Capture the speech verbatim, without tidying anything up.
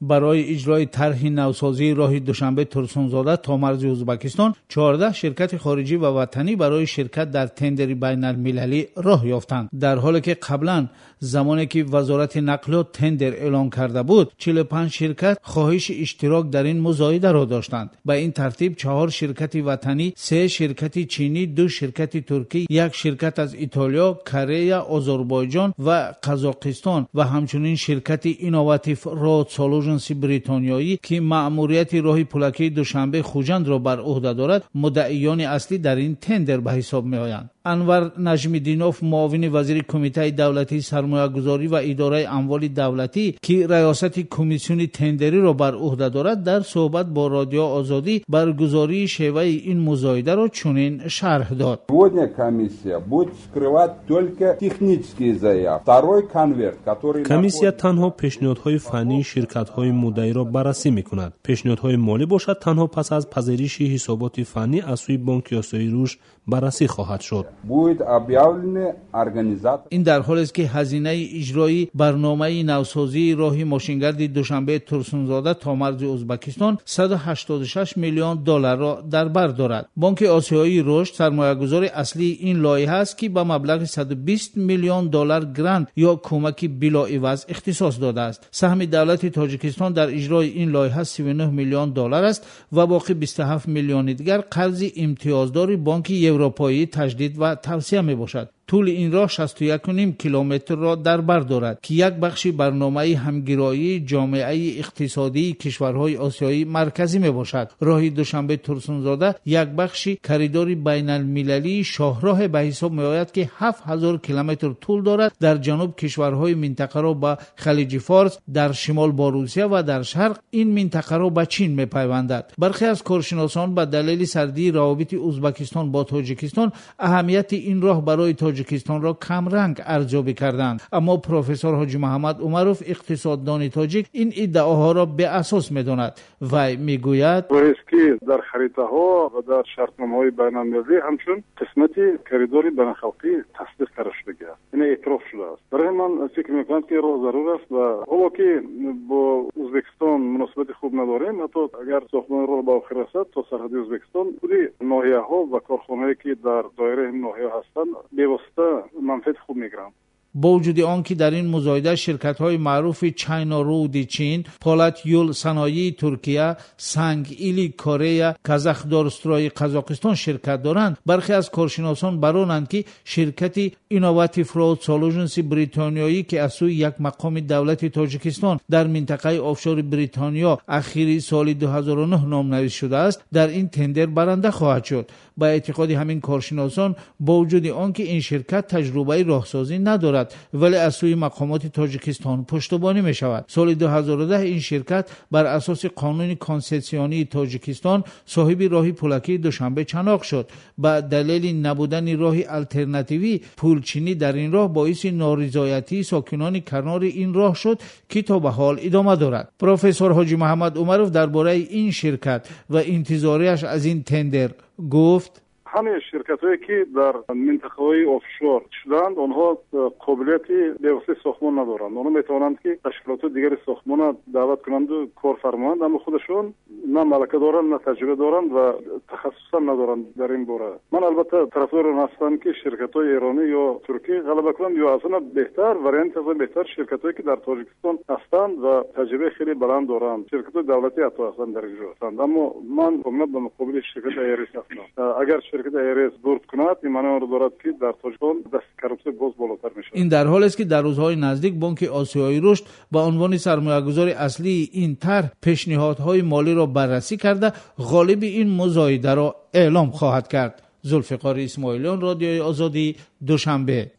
Барои иҷрои тарҳи навсозии роҳи Душанбе Турсунзода то марзи Ӯзбекистон чордаҳ ширкати хориҷӣ ва ватанӣ барои ширкат дар тендери байналмилалӣ роҳ ёфтанд. Дар ҳоле ки қаблан замоне ки вазорати нақлиёт тендер эълон карда буд, чилу панҷ ширкат хоҳиши иштирок дар ин музоидаро доштанд. Ба ин тартиб чаҳор ширкати ватанӣ, се ширкати чинӣ, ду ширкати туркӣ, як ширкат аз Итолиё, Корея, Озарбойҷон ва Қазоқистон ва ҳамчунин ширкати Innovative Road Solutions бритониёӣ, ки маъмурияти роҳи пулакии Душанбе Хуҷандро бар уҳда дорад, муддаиёни аслӣ дар ин тендер ба ҳисоб меоянд. Анвар Наҷмиддинов, муовини вазири Кумитаи давлатии сармоягузорӣ ва идораи амволи давлатӣ, ки раёсати комиссиони тендериро бар уҳда дорад, дар суҳбат бо Радио Озодӣ баргузории шеваи ин музоидаро чунин шарҳ дод. Сегодня комиссия будет вскрывать только технические заявки. Второй конверт, который Комиссия танҳо пешниҳодҳои фаннии ширкатҳои муддаиро баррасӣ мекунад. Пешниҳодҳои молӣ бошад, танҳо пас аз пазириши ҳисоботи фаннӣ аз сӯи Бонки Осиёии Рушд баррасӣ хоҳад шуд. Будет объявлены организатор. Ин дар ҳолест, ки ҳазинаи иҷрои барномаи навсозии роҳи мошингарди Душанбе Турсунзода то марзи Ӯзбекистон саду ҳаштоду шаш миллион долларро дар бар дорад. Бонки Осиёии Рушд сармоягузори аслии ин лоиҳа аст, ки ба маблағи саду бист миллион доллар грант ё кӯмаки билоиваз ихтисос додааст. Саҳми давлати Тоҷикистон дар иҷрои ин лоиҳа сиву нӯҳ миллион доллар аст ва боқӣ бисту ҳафт миллиони дигар қарзи имтиёздори Бонки Европоии таҷдид ва тавсия мебошад. Тӯли ин роҳ шасту яку ним километрро дар бар дорад, ки як бахши барномаи ҳамгироии ҷомеаи иқтисодии кишварҳои Осиёи Марказӣ мебошад. Роҳи Душанбе Турсунзода як бахши коридори байналмилалии шоҳроҳе ба ҳисоб меояд, ки ҳафт ҳазор километр тӯл дорад. Дар ҷануб кишварҳои минтақаро ба Халиҷи Форс, дар шимол бо Русия ва дар шарқ ин минтақаро ба Чин мепайвандад. Бархе аз коршиносон ба далели сардии равобити Ӯзбекистон бо Тоҷикистон аҳамияти ин роҳ барои Тоҷикистонро камранг арзёбӣ карданд. Аммо профессор Ҳоҷи Муҳаммад Умаров, иқтисоддони тоҷик, ин иддаоҳоро беасос медонад. Вай мегӯяд: роҳест, ки дар харитаҳо ва дар шартномаҳои байналмилалӣ ҳамчун қисмати коридори байналхалқӣ тасдиқ карда шудагӣ аст, яъне эътироф шудааст. Барои ман фикр мекунам, ки роҳ зарур аст ва ҳоло ки бо Ӯзбекистон муносибати хуб надорем, ҳатто агар сохтмони роҳ ба охир расад то сарҳади Ӯзбекистон, худи ноҳияҳо ва корхонаҳое, ки дар доираи ин ноҳия ҳастанд, бевосита манфиати хуб мегиранд. Бо вуҷуди он ки дар ин музоида ширкатҳои маъруфи China Road Чин, Полат Юл Саноии Туркия, Санг Или Корея, Казахдорстрой Қазоқистон ширкат доранд, бархе аз коршиносон баронанд, ки ширкати Innovative Road Solutions бритониёӣ, ки аз сӯи як мақоми давлати Тоҷикистон дар минтақаи офшори Бритониё ахири соли ду ҳазору нӯҳ номнавис шудааст, дар ин тендер баранда хоҳад шуд. Ба эътиқоди ҳамин коршиносон, бо вуҷуди он ки ин ширкат таҷрубаи роҳсозӣ надорад, вале аз сӯи мақомоти Тоҷикистон пуштубонӣ мешавад. Соли ду ҳазору даҳ ин ширкат бар асоси қонуни консессионии Тоҷикистон соҳиби роҳи пулакии Душанбе Чаноқ шуд. Ба далели набудани роҳи алтернативӣ, пулчинӣ дар ин роҳ боиси норизоятии сокинони канори ин роҳ шуд, ки то ба ҳол идома дорад. Профессор Ҳоҷи Муҳаммад Умаров дар бораи ин ширкат ва интизориаш аз ин тендер гуфт: ҳамаи ширкатҳое, ки дар минтақаҳои офшор шуданд, онҳо қобилияти бевоситаи сохтмон надоранд. Онҳо метавонанд, ки ташкилотҳои дигари сохтмонро даъват кунанду кор фармоянд, аммо худашон на малака доранд, на таҷриба доранд ва тахассусам надоранд дар ин бора. Ман албатта тарафдори он ҳастам, ки ширкатҳои эронӣ ё туркӣ ғалаба кунанд, ё аз ҳама беҳтар варианти аз ҳама беҳтар ширкатҳое, ки дар Тоҷикистон ҳастанд ва таҷрибаи хеле баланд доранд, ширкатҳои давлатӣ ҳатто ҳастанд дар ин ҷо ҳастанд. Аммо ман комилан ба муқобили ширкати Айрис ҳастам. Агар ширкати Айрис бурд кунад, ин маънои онро дорад, ки дар Тоҷикистон дасти коррупсия боз болотар мешавад. Ин дар ҳолест, ки дар рӯзҳои наздик Бонки Осиёии Рушд ба унвони сармоягузори аслии ин тарҳ пешниҳодҳои молиро баррасӣ карда, ғолиби ин музоидаро эълом хоҳад кард. Зулфиқори Исмоилиён, Радиои Озодӣ, Душанбе.